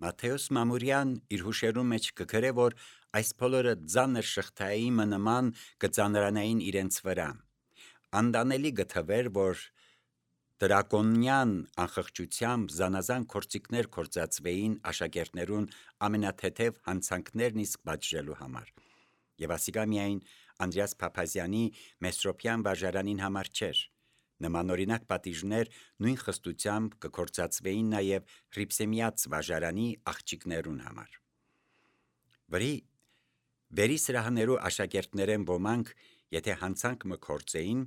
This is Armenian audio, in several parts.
Մատթեոս Մամուրյան իր հուշերու մեջ կգրե, որ այս բոլորը ձանր շղթայի նման կծանրանային իրենց վրա։ Անդանելի գթվեր, որ դրակոնյան անխղճությամբ զանազան գործիքներ կործածվեին աշակերտներուն ամենաթեթև հանցանքներն իսկ պատժելու համար։ Եվ ասիկա միայն Անդրեաս Փափազյանի Մեսրոպյան վարժարանին համար չէր։ Նմանօրինակ պատիժներ նույն խստությամբ կկործածվեին նաև Հռիփսեմյաց վարժարանի աղջիկներուն համար։ Վերի սրահներու աշակերտներեն ոմանք, եթե հանցանք մը կործեին,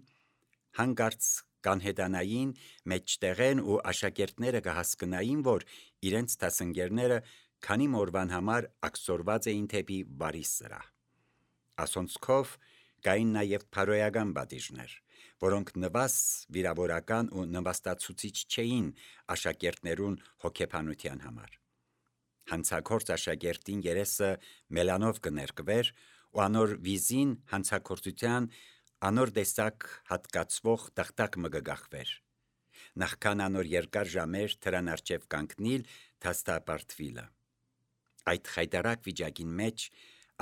հանգարց կանհետանային մեջտեղեն ու աշակերտները կհասկնային, որ իրենց դասընկերները քանի մորվան համար ակսորված էին թեպի բարի սրահ։ Ասոնցքով կային նաև փարոյական պատիժներ, որոնք նվազ վիրավորական ու նվաստացուցիչ չէին աշակերտներուն հոգեբանության համար։ Հանցագործ աշակերտին երեսը մելանով կներկվեր ու անոր վիզին հանցագործության անոր տեսակ հատկացվող տախտակ մը կգախվեր։ Նախքան անոր երկար ժամեր դրան առջև կանգնիլ դաստապարտվիլը։ Այդ խայտարակ վիճակին մեջ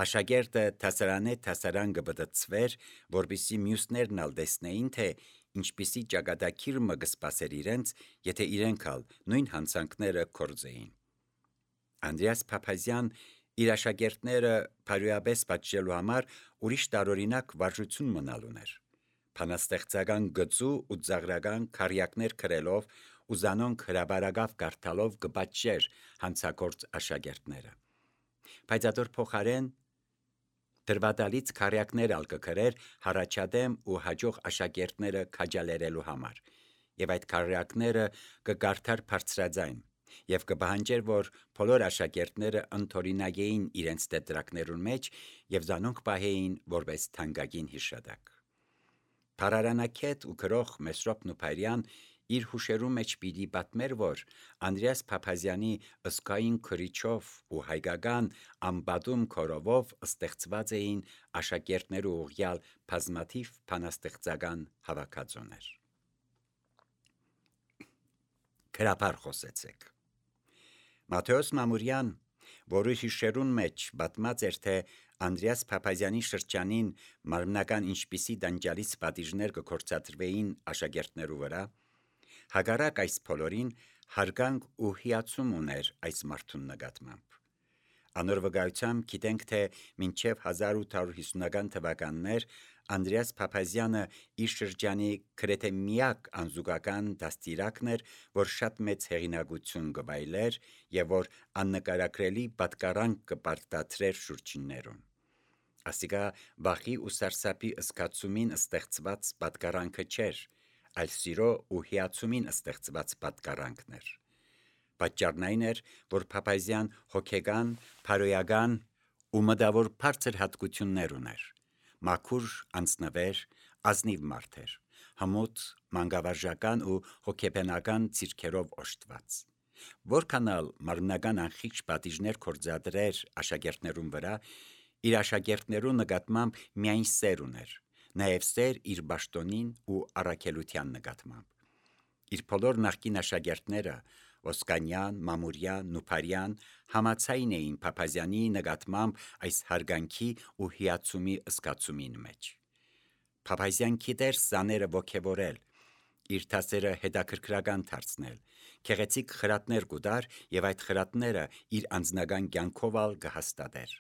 աշակերտը դասարան կբդծվեր, որպեսզի մյուսներն ալ տեսնեին, թե ինչպիսի ճակատագիր մը կսպասեր իրենց, եթե իրենք ալ նույն հանցանքները կործեին։ Անդրեաս Փափազյան իր աշակերտները փարոյապես պատժելու համար ուրիշ տարօրինակ վարժություն մնալ ուներ։ Բանաստեղծական գծու ու ծաղրական քարյակներ գրելով ու զանոնք հրաբարակավ կարդալով կպատժեր հանցագործ աշակերտները։ Բայց ադոր փոխարեն դրվատալից քարյակներ ալ կգրեր հառաջադեմ ու հաջող աշակերտները քաջալերելու համար, եւ այդ քարյակները կկարդար բարձրաձայն եւ կպահանջեր, որ բոլոր աշակերտները ընդօրինագեին իրենց տետրակներուն մեջ եւ զանոնք պահեին որպես թանկագին հիշատակ։ Փարարանակետ ու գրող Մեսրոպ Նուփարյան իր հուշերու մեջ պիտի պատմեր, որ Անդրեաս Փափազյանի ըսկային քրիչով ու հայկական ամբադում քորովով ստեղծված էին աշակերտներու ուղյալ բազմաթիվ բանաստեղծական հավաքածուներ։ Գրաբար խոսեցեք։ Մատթեոս Մամուրյան, որի հիշերուն մեջ պատմած էր, թե Անդրեաս Փափազյանի շրջանին մարմնական ինչպիսի դանջալից պատիժներ կկործադրվեին աշակերտներու վրա, հակառակ այս բոլորին հարգանք ու հիացում ուներ այս մարդուն նկատմամբ։ Անոր վկայությամբ գիտենք, թե մինչև 1850-ական թվականներ Անդրեաս Փափազյանը իր շրջանի գրեթե միակ անզուգական դաստիարակն էր, որ շատ մեծ հեղինակություն կվայելեր եւ որ աննկարագրելի պատկառանք կպարտադրեր շուրջիններուն։ Ասիկա վախի ու սարսափի զգացումին ստեղծված պատկառանքը չէր, այլ սիրո ու հիացումին ստեղծված պատկառանքն էր։ Պատճառն այն էր, որ Փափազյան հոգեգան, փարոյական ու մտավոր բարձր հատկություններ ուներ։ Մաքուր անձնվեր, ազնիվ մարդ էր, հմուտ, մանկավարժական ու հոգեբանական ցիրքերով օժտված։ Որքան ալ մարմնական անխիղճ պատիժներ կործադրեր աշակերտներուն վրա, իր աշակերտներու նկատմամբ միայն սեր ուներ, նաև սեր իր պաշտոնին ու առաքելության նկատմամբ։ Իր բոլոր նախկին աշակերտները Ոսկանյան, Մամուրյան, Նուփարյան համաձայն էին Փափազյանի նկատմամբ այս հարգանքի ու հիացումի զգացումին մեջ։ Փափազյան գիտեր սաները ոգևորել, իր դասերը հետաքրքրական դարձնել, գեղեցիկ խրատներ կուտար եւ այդ խրատները իր անձնական կյանքով ալ կհաստատեր։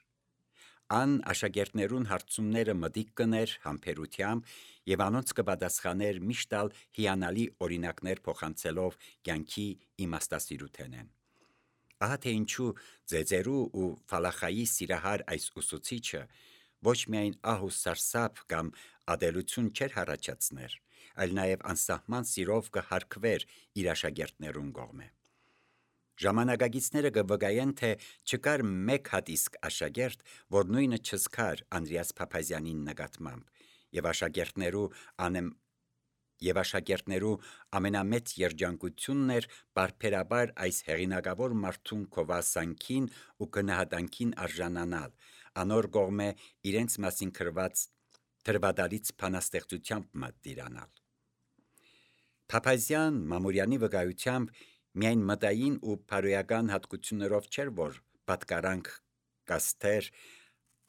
Ան աշակերտներուն հարցումները մտիկ կներ համբերությամբ եւ անոնց կպատասխաներ միշտ ալ հիանալի օրինակներ փոխանցելով կյանքի իմաստասիրութենեն։ Ահա թե ինչու ձեձերու ու ֆալախայի սիրահար այս ուսուցիչը ոչ միայն ահ ու սարսափ կամ ադելություն չէր հառաջացներ, այլ նաև անսահման սիրով կհարգվեր իր աշակերտներուն կողմէ։ Ժամանակագիցները կվկայեն, թե չկար մեկ հատ իսկ աշակերտ, որ նույնը չզգար Անդրեաս Փափազյանին նկատմամբ, եւ աշակերտներու ամենամեծ երջանկությունն էր պարբերաբար այս հեղինակավոր մարդուն քովասանքին ու գնահատանքին արժանանալ, անոր կողմէ իրենց մասին գրված դրվադալից բանաստեղծությամբ մտիրանալ։ Փափազյան Մամուրյանի վկայությամբ Միայն մտային ու փարոյական հատկություններով չէր, որ պատկարանք կաստեր,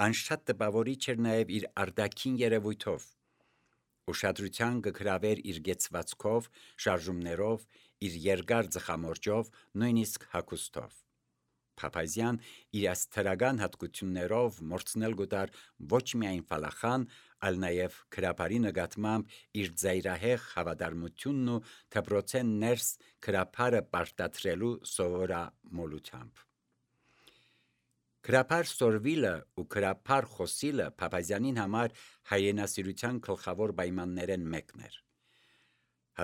անշատ տպավորիչ էր նաև իր արտաքին երևույթով։ Ուշադրության կգրավեր իր գեցվածքով, շարժումներով, իր երկար ծխամորճով, նույնիսկ հագուստով։ Փափազյան իր աստրական հատկություններով մորցնել գտար ոչ միայն ֆալախան, այլ նաև քրապարի նկատմամբ իր ծայրահեղ հավատարմությունն ու դպրոցեն ներս քրապարը պարտադրելու սովորամոլությամբ։ Քրապար Սորվիլը ու քրապար Խոսիլը Փափազյանին համար հայրենասիրության գլխավոր պայմաններն մեկն էր։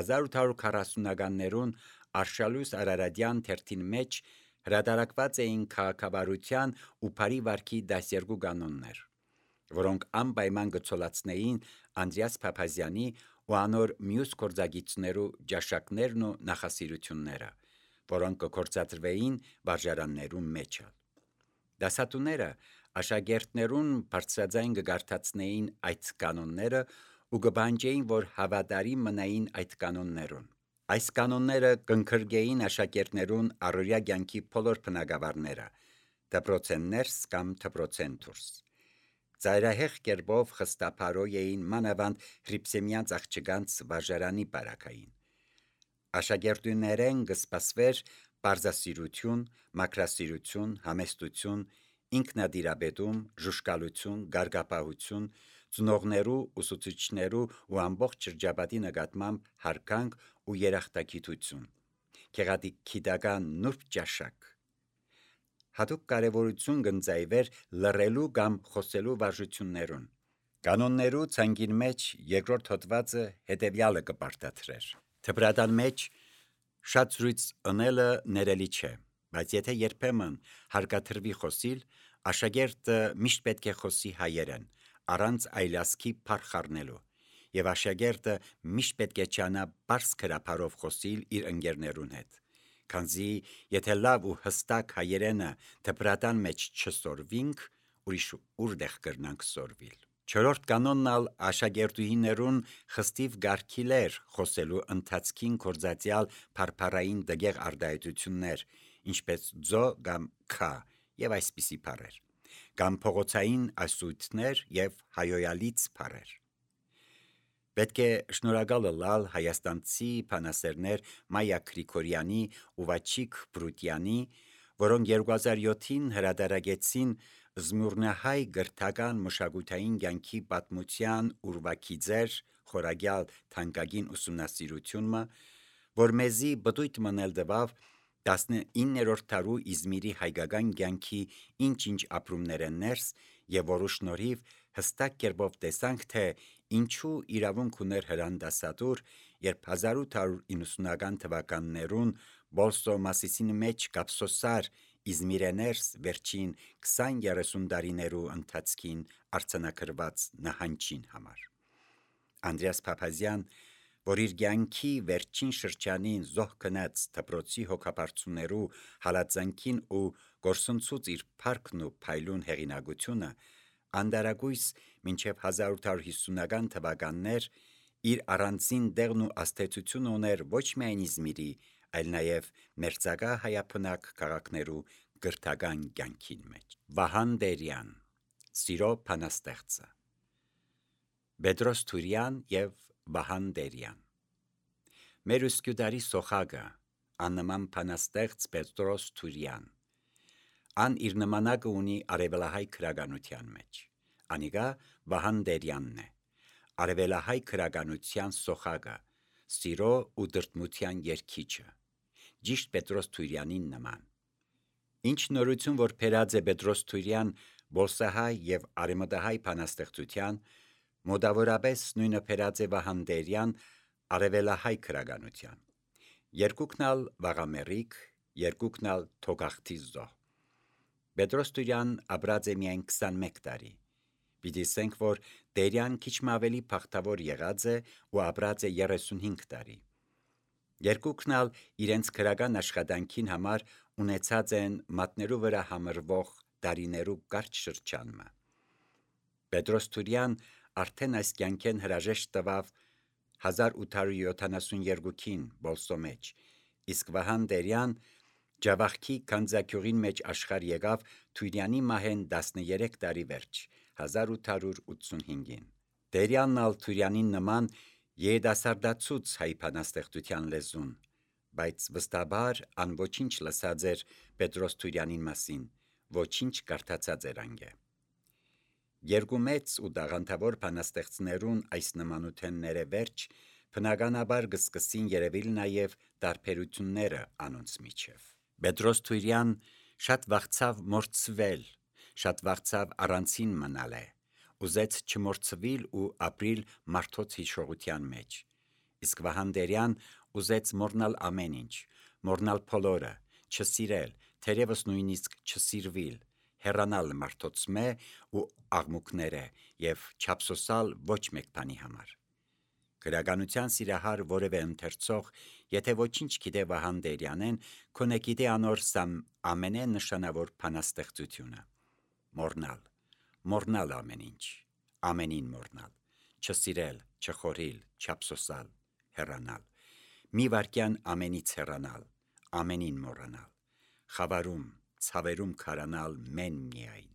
1840-ականներուն Արշալույս Արարատյան թերթին մեջ հրատարակված էին քաղաքավարության ու բարի վարքի 12 կանոններ, որոնք անպայման կցոլացնեին Անդրեաս Փափազյանի ու անոր մյուս գործագիծներու ճաշակներն ու նախասիրությունները, որոնք կգործադրվեին վարժարաններու մեջ։ Դասատուները աշակերտներուն բարձրաձայն կգարթացնեին այդ կանոնները ու կբանջեին, որ հավատարիմ մնային այդ կանոններուն։ Այս կանոնները կընկրկեին աշակերտներուն առօրյա կյանքի բոլոր բնագավառները, դպրոցեն ներս կամ դպրոցեն դուրս։ Ծայրահեղ կերպով խստափարոյ էին մանավանդ հրիփսեմյանց աղջկանց վարժարանի բարակային։ Աշակերտուներեն կսպասվեր պարզասիրություն, մաքրասիրություն, համեստություն, ինքնադիրաբետում, ժուշկալություն, գարգապահություն, ծնողներու, ուսուցիչներու ու ամբողջ շրջապատի նկատմամբ հարգանք ու երախտագիտություն, գեղագիտական նուրբ ճաշակ։ Հատուկ կարևորություն կընծայվեր լռելու կամ խոսելու վարժություններուն։ Կանոններու ցանկին մեջ երկրորդ հոդվածը հետևյալը կպարտադրեր. Դպրատան մեջ շատ զրույց ընելը ներելի չէ, բայց եթե երբեմն հարկադրվի խոսիլ, աշակերտը միշտ պետք է խոսի հայերեն, առանց այլազգի փառ խառնելու, եւ աշակերտը միշտ պետք է ճանա բարձ քրապարով խոսիլ իր ընկերներուն հետ, քանզի եթե լավ ու հստակ հայերենը դպրատան մեջ չսորվինք, ուրիշ ուրդեղ կրնանք սորվիլ։ Չորրորդ կանոնն ալ աշակերտուհիներուն խստիվ գարգիլեր խոսելու ընթացքին կործածյալ փարփարային դգեղ արտահայտություններ, ինչպես ձո կամ քա եւ այսպիսի բառեր, կամ փողոցային ասույթներ եւ հայոյալից բառեր։ Պետք է շնորհակալ լալ հայաստանցի բանասերներ Մայա Գրիգորյանի ու Վաչիկ Բրուտյանի, որոնք 2007-ին հրատարակեցին Զմուրնահայ գրթական մշակութային կյանքի պատմության ուրվագիծեր խորագյալ թանկագին ուսումնասիրությունը, որ մեզի բդույթ մնել տվավ 19-րդ դարու Իզմիրի հայկական կյանքի ինչ-ինչ ապրումներ են ներս եւ որու շնորհիվ հստակ կերպով տեսանք, թե ինչու իրավունք ուներ Հրան դասադուր, երբ 1890-ական թվականներուն Բոլսո Մասիսին մեջ կապսոսար Իզմիրեներս վերջին 20-30 տարիներու ընթացքին արձանագրված նահանջին համար։ Անդրեաս Փափազյան, որ իր կյանքի վերջին շրջանին զոհ գնաց դպրոցի հոգաբարձուներու հալածանքին ու գործընծուց իր փառքն ու փայլուն հեղինակությունը, անդարագույս մինչև 1850-ական թվականներ իր առանձին տեղն ու աստեցությունը ուներ ոչ միայն Իզմիրի, այլ նաև մերձակա հայաբնակ քաղաքներու գրթական կյանքին մեջ։ Վահան Տերյան, Սիրո բանաստեղծը։ Պետրոս Թուրյան եւ Վահան Տերյան։ Մեր ուսկյուդարի սոխագը, աննման բանաստեղծ Պետրոս Թուրյան, ան իր նմանակը ունի արևելահայ քրագանության մեջ։ Անիգա Վահան Տերյանն է, արևելահայ քրագանության սոխագը, սիրո ու դրդմության երգիչը, ճիշտ Պետրոս Թուրյանին նման։ Ինչ նորություն, որ փերած է Պետրոս Թուրյան բոլսահայ եւ արեմտահայ բանաստեղծության, մոտավորապես նույնը փերած է Վահան Տերյան արևելահայ քրագանության։ Երկուքն ալ վաղամերիկ, երկուքն ալ թոգախտի զոհ։ Պետրոս Թուրյան ապրած է միայն 21 տարի։ Պիտի ասենք, որ Տերյան քիչ մ ավելի փախտավոր եղած է ու ապրած է 35 տարի։ Երկուքն ալ իրենց քրական աշխատանքին համար ունեցած են մատներու վրա համրվող տարիներու կարճ շրջանը։ Պետրոս Թուրյան արդեն այս կյանքեն հրաժեշտ տվավ 1872-ին Բոլսո մեջ, իսկ Վահան Տերյան Ջավախքի քանձակյուղին մեջ աշխարհ եկավ Թույրյանի մահեն 13 տարի վերջ 1885-ին։ Տերյանն ալ Թույրյանին նման երիտասարդացուց հայ բանաստեղծության լեզուն, բայց վստահաբար ան ոչինչ լսած էր Պետրոս Թույրյանին մասին, ոչինչ կարդացած էր անգե։ Երկու մեծ ու դաղանթավոր բանաստեղծներուն այս նմանութենները վերջ բնականաբար կսկսին երևիլ նաև տարբերությունները անոնց միջև։ Պետրոս Թույրյան շատ վախցավ մորցվել, շատ վախցավ առանցին մնալ է, ուզեց չմորցվիլ ու ապրիլ մարդոց հիշողության մեջ, իսկ Վահան Տերյան ուզեց մոռնալ ամեն ինչ, մոռնալ բոլորը, չսիրել, թերևս նույնիսկ չսիրվիլ, հեռանալ մարդոցմե ու աղմուկները և չափսոսալ ոչ մեկ բանի համար։ Գրականության սիրահար որևէ ընթերցող, եթե ոչինչ գիտե Վահան Տերյանեն, քոնե գիտե անոր ամենեն նշանավոր բանաստեղծությունը։ Մոռնալ ամեն ինչ, ամենին մոռնալ, չսիրել, չխորիլ, չափսոսալ, հեռանալ, մի վայրկյան ամենից հեռանալ, ամենին մոռանալ, խավարում, ցավերում քարանալ մեն միայն,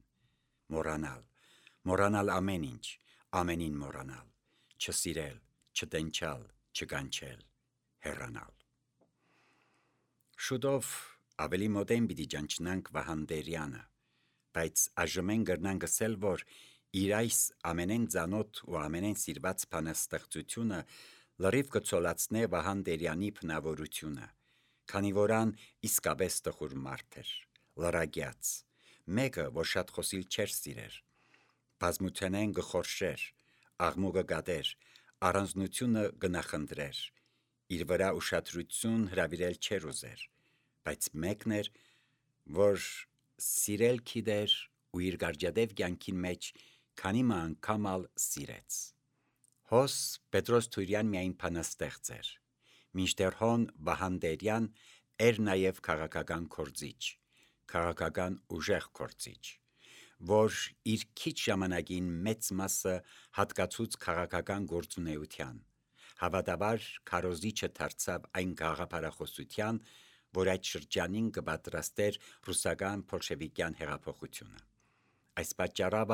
մոռանալ ամեն ինչ, ամենին մոռանալ, չսիրել, չտենչալ, չկանչել, հեռանալ։ Շուտով ավելի մոտեն պիտի ճանչնանք Վահան Տերյանը, բայց այժմեն կրնանք ասել, որ իր այս ամենեն ծանոթ ու ամենեն սիրված բանաստեղծությունը լրիվ կցոլացնե Վահան Տերյանի բնավորությունը, քանի որ ան իսկապես տխուր մարդ էր, լրագյաց, մեկը, որ շատ խոսիլ չէր սիրեր, բազմութենեն կխորշեր, աղմուկը կատեր, առանձնությունը կնախընտրեր, իր վրա ուշադրություն հրավիրել չէր ուզեր, բայց մեկն էր, որ սիրել գիտեր ու իր գարճադև կյանքին մեջ քանի անգամ ալ սիրեց։ Հոս Պետրոս Թույրյան միայն բանաստեղծ էր, մինչդեռ հոն Վահան Տերյան էր նաև քաղաքական գործիչ, քաղաքական ուժեղ գործիչ, որ իր քիչ ժամանակին մեծ մասը հատկացուց քաղաքական գործունեության, հավատաբար քարոզիչը դարձավ այն գաղափարախոսության, որ այդ շրջանին կպատրաստեր ռուսական բոլշևիկյան հեղափոխությունը։ Այս պատճառով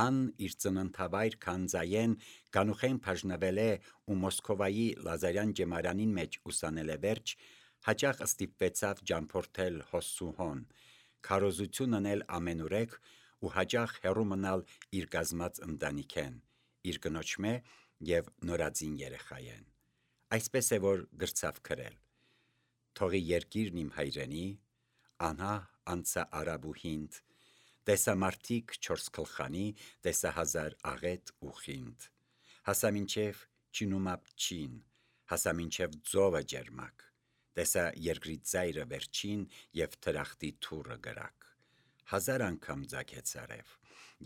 ան իր ծննդավայր Քանձայեն Կանուխեն բաժնվել է ու Մոսկովայի Լազարյան ջեմարանին մեջ ուսանել է վերջ, հաճախ ստիպվեցավ ճամփորդել հոսուհոն, քարոզություն անել ամենուրեք ու հաճախ հեռու մնալ իր կազմած ընտանիքեն, իր կնոջմե և նորածին երեխայեն։ Այսպես է որ գրցավ գրել. «Թողի երկիրն իմ հայրենի, անհա անցա արաբուհինդ, տեսա մարդիկ չորս քլխանի, տեսա հազար աղետ ու խինդ, հասա մինչև չինումապ չին, հասա մինչև ձովը ջերմակ, տեսա երկրի ծայրը վերջին և թրախտի թուրը գրակ, հազար անգամ ձագեց արև,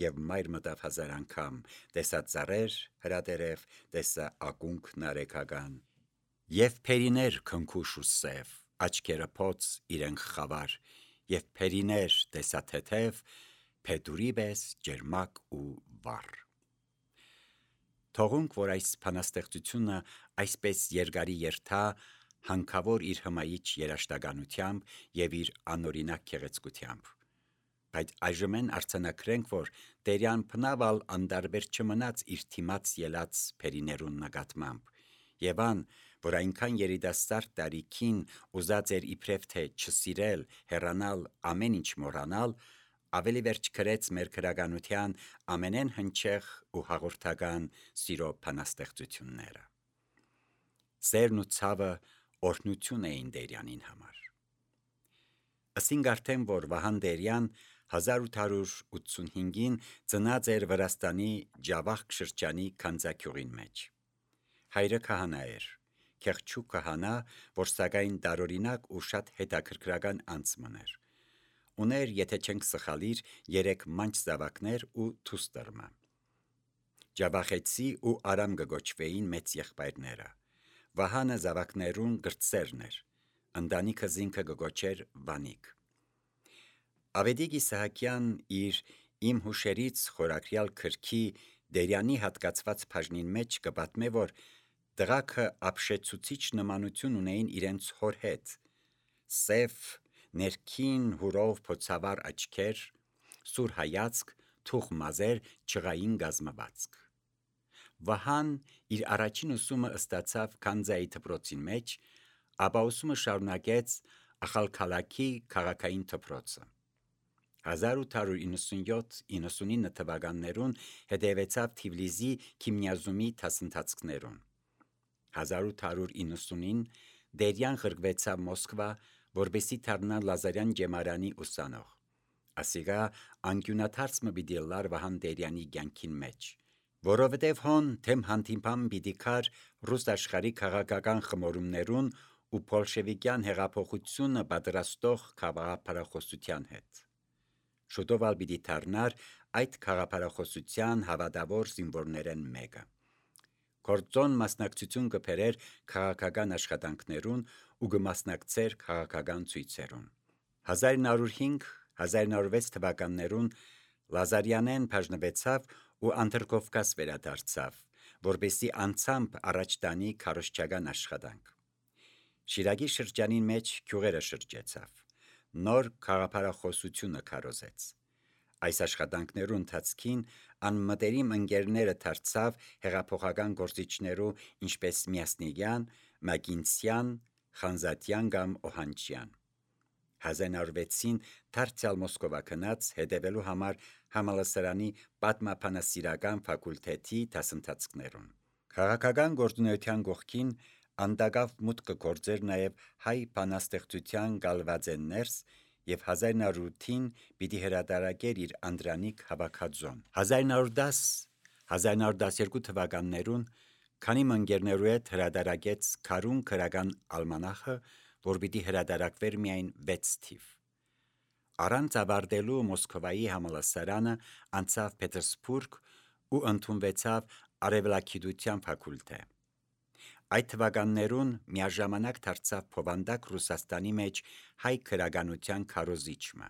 և մայր մտավ հազար անգամ, տեսա ծառեր հրատերև, տեսա ակունք նարեկական, և փերիներ քնքուշ ու սև, աչքերը փոց իրենք խավար, և փերիներ տեսա թեթև, փետուրի պես ջերմակ ու վառ»։ Թողունք, որ այս բանաստեղծությունը այսպես երկարի երթա հանքավոր իր հմայիչ երաժշտականությամբ և իր անօրինակ գեղեցկությամբ, բայց այժմեն արձանագրենք, որ Տերյան բնավ անդարբեր չմնաց իր թիմած ելած փերիներուն նկատմամբ, և ան, որ այնքան երիտասարդ տարիքին ուզած էր իբրև թե չսիրել, հեռանալ, ամեն ինչ մոռանալ, ավելի վերջ գրեց մեր գրականության ամենեն հնչեղ ու հաղորդական սիրո բանաստեղծությունները։ Սերն ու ցավը օրհնություն էին Տերյանին համար։ Ասինք արդեն, որ Վահան Տերյան 1885-ին ծնած էր Վրաստանի Ջավախք շրջանի Քանձակյուղին մեջ։ Հայրը քահանա էր, քեղչու քահանա, որ սակայն տարօրինակ ու շատ հետաքրքրական անցմն էր։ Ուներ, եթե չենք սխալիր, 3 մանչ զավակներ ու դուստր մը։ Ջավախեցի ու Արամ կգոչվեին մեծ եղբայրները։ Վահանը զավակներուն կրտսերն էր, ընտանիքը զինքը կգոչեր Վանիկ։ Ավետիք Իսահակյան իր «Իմ հուշերից» խորագրյալ գրքի Տերյանի հատկացված բաժնին մեջ կպատմե, որ Տղաքը ապշեցուցիչ նմանություն ունեին իրենց հոր հետ, սև, ներքին հուրով փոցավառ աչքեր, սուր հայացք, թուխ մազեր, չղային գազմվածք։ Վահան իր առաջին ուսումը ստացավ Քանզայի դպրոցին մեջ, ապա ուսումը շարունակեց Ախալքալաքի քաղաքային դպրոցը։ 1897-99 թվականներուն հետևեցավ Թիֆլիսի քիմիազումի դասընթացքներուն։ 1890-ին Դերյան ղրկվեցավ Մոսկվա, որպեսզի դառնա Լազարյան ջեմարանի ուսանող։ Ասիգա անկյունաթարց մը պիտի լար Վահան Դերյանի կյանքին մեջ, որովհետև հոն թեմ հանդիպամ պիտի կար ռուս աշխարհի քաղաքական խմորումներուն ու բոլշևիկյան հեղափոխությունը պատրաստող խաղաղապարախոսության հետ։ Շուտով ալ պիտի դառնար այդ խաղաղապարախոսության հավատավոր զինվորներեն մեկը։ Գործոն մասնակցություն կբերեր քաղաքական աշխատանքներուն ու կմասնակցեր քաղաքական ցույցերուն։ 1905-1906 թվականներուն Լազարյանեն բաժնվեցավ ու Անդրկովկաս վերադարձավ, որպեսզի անցամբ առաջ տանի քարոզչական աշխատանք։ Շիրակի շրջանին մեջ գյուղերը շրջեցավ, նոր խաղաղապարախոսությունը քարոզեց։ Այս աշխատանքներու ընթացքին անմտերիմ ընկերները դարձավ հեղափոխական գործիչներու ինչպես Միասնիկյան, Մակինցյան, Խանզատյան կամ Օհանչյան։ 1906-ին դարձյալ Մոսկովա գնաց հետևելու համար համալսարանի պատմաբանասիրական ֆակուլտետի դասընթացքներուն։ Քաղաքական գործունեության կողքին անդագավ մուտք կգործեր նաև հայ բանաստեղծության գալվածեն ներս և 1908-ին պիտի հրատարակեր իր Անդրանիկ հավաքածոն։ 1910-1912 թվականներուն քանի ընկերներու հետ հրատարակեց Քարուն քրական ալմանախը, որ պիտի հրատարակվեր միայն 6 թիվ։ Առանց ավարտելու Մոսկվայի համալսարանը անցավ Պետերսբուրգ ու ընդունվեցավ արևելագիտության ֆակուլտե։ Այդ թվականներուն միաժամանակ դարձավ Փովանդակ Ռուսաստանի մեջ հայ քրագանության քարոզիչը։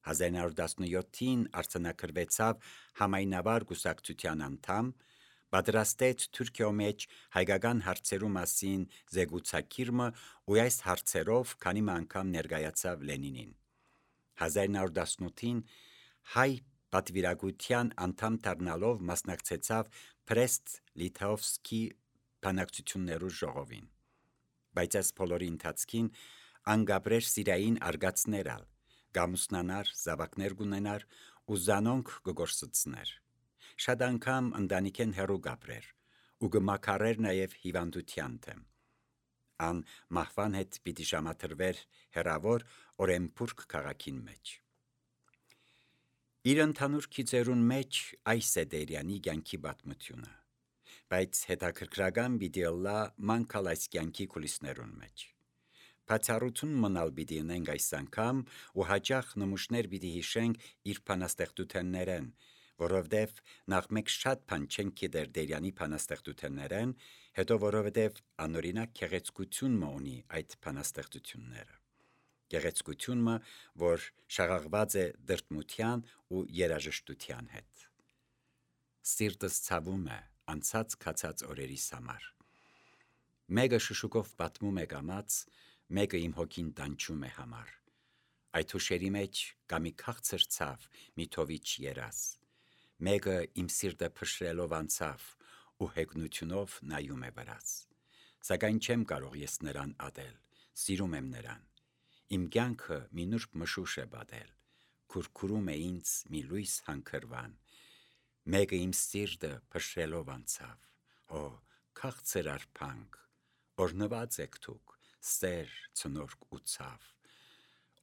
1917-ին արձանագրվեցավ համայնավար կուսակցության անդամ, պատրաստեց Թուրքիո մեջ հայկական հարցերու մասին զեկուցակիրը ու այս հարցերով քանի անգամ ներկայացավ Լենինին։ 1918-ին հայ պատվիրակության անդամ դառնալով մասնակցեցավ Բրեստ-Լիտովսկի բանակցություններու ժողովին։ Բայց այս բոլորի ընթացքին անգաբրեր սիրային արգացներ ալ, գամուսնանար, զավակներ կունենար ու զանոնք կգործծներ։ Շատ անգամ ընտանիքեն հեռու գաբրեր ու կմաքարեր նաև հիվանդության դեմ։ Ան մահվան հետ պիտի ժամադրվեր հեռավոր Օրենբուրգ քաղաքին մեջ։ Իր ընդհանուր գիծերուն մեջ այս է Դերյանի կյանքի պատմությունը, բայց հետաքրքրական պիտի ըլլա մանկալ այս կյանքի կուլիսներուն մեջ։ Բացառություն մնալ պիտի ունենք այս անգամ ու հաճախ նմուշներ պիտի հիշենք իր բանաստեղծութեններեն, որովհետև նախ մեկ շատ բան չենք գիտեր Դերյանի բանաստեղծութեններեն, հետո որովհետև անօրինակ գեղեցկություն ունի այդ բանաստեղծությունները։ Գեղեցկությունը, որ շաղաղված է դրդմության ու երաժշտության հետ։ Սիրտս ցավում է անցած քացած օրերիս համար։ Մեկը շշուկով պատմում է կամաց, մեկը իմ հոգին տանջում է համար։ Այդ հուշերի մեջ կա մի քաղցր ցավ, մի թովիչ երազ։ Մեկը իմ սիրտը փշրելով անցավ ու հեգնությունով նայում է վրաս։ Սակայն չեմ կարող ես նրան ատել, սիրում եմ նրան։ Իմ կյանքը մի նուրբ մշուշ է պատել, քուրքուրում է ինձ մի լույս հանքրվան։ Մեկը իմ սիրտը փշրելով անցավ, օ, քաղցր արփանք, օրհնված եք դուք, սեր, ցնորք ու ցավ,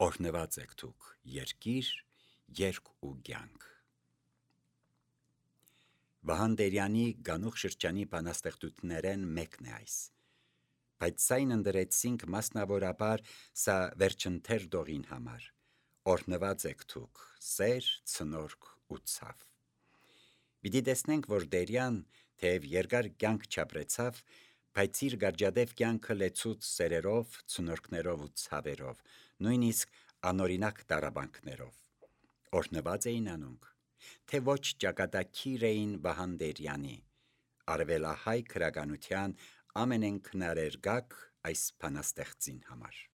օրհնված եք դուք, երկիր, երկ ու կյանք։ Վահան Դերյանի գանուխ շրջանի բանաստեղծություններեն մեկն է այս, բայց սայն ընդրեցինք մասնավորաբար սա վերջընթեր դողին համար, օրհնված եք դուք, սեր, ցնորք ու ցավ։ Պիտի տեսնենք, որ Դերյան թեև երկար կյանք չապրեցավ, բայց իր գարջադեպ կյանքը լեցուց սերերով, ցնորքներով ու ցավերով, նույնիսկ անօրինակ տառապանքներով։ Օրհնված էին անոնք, թե ոչ ճակատագիր էին Վահան Դերյանի, արևելահայ քրագանության ամենենքնարերգակ այս բանաստեղծին համար։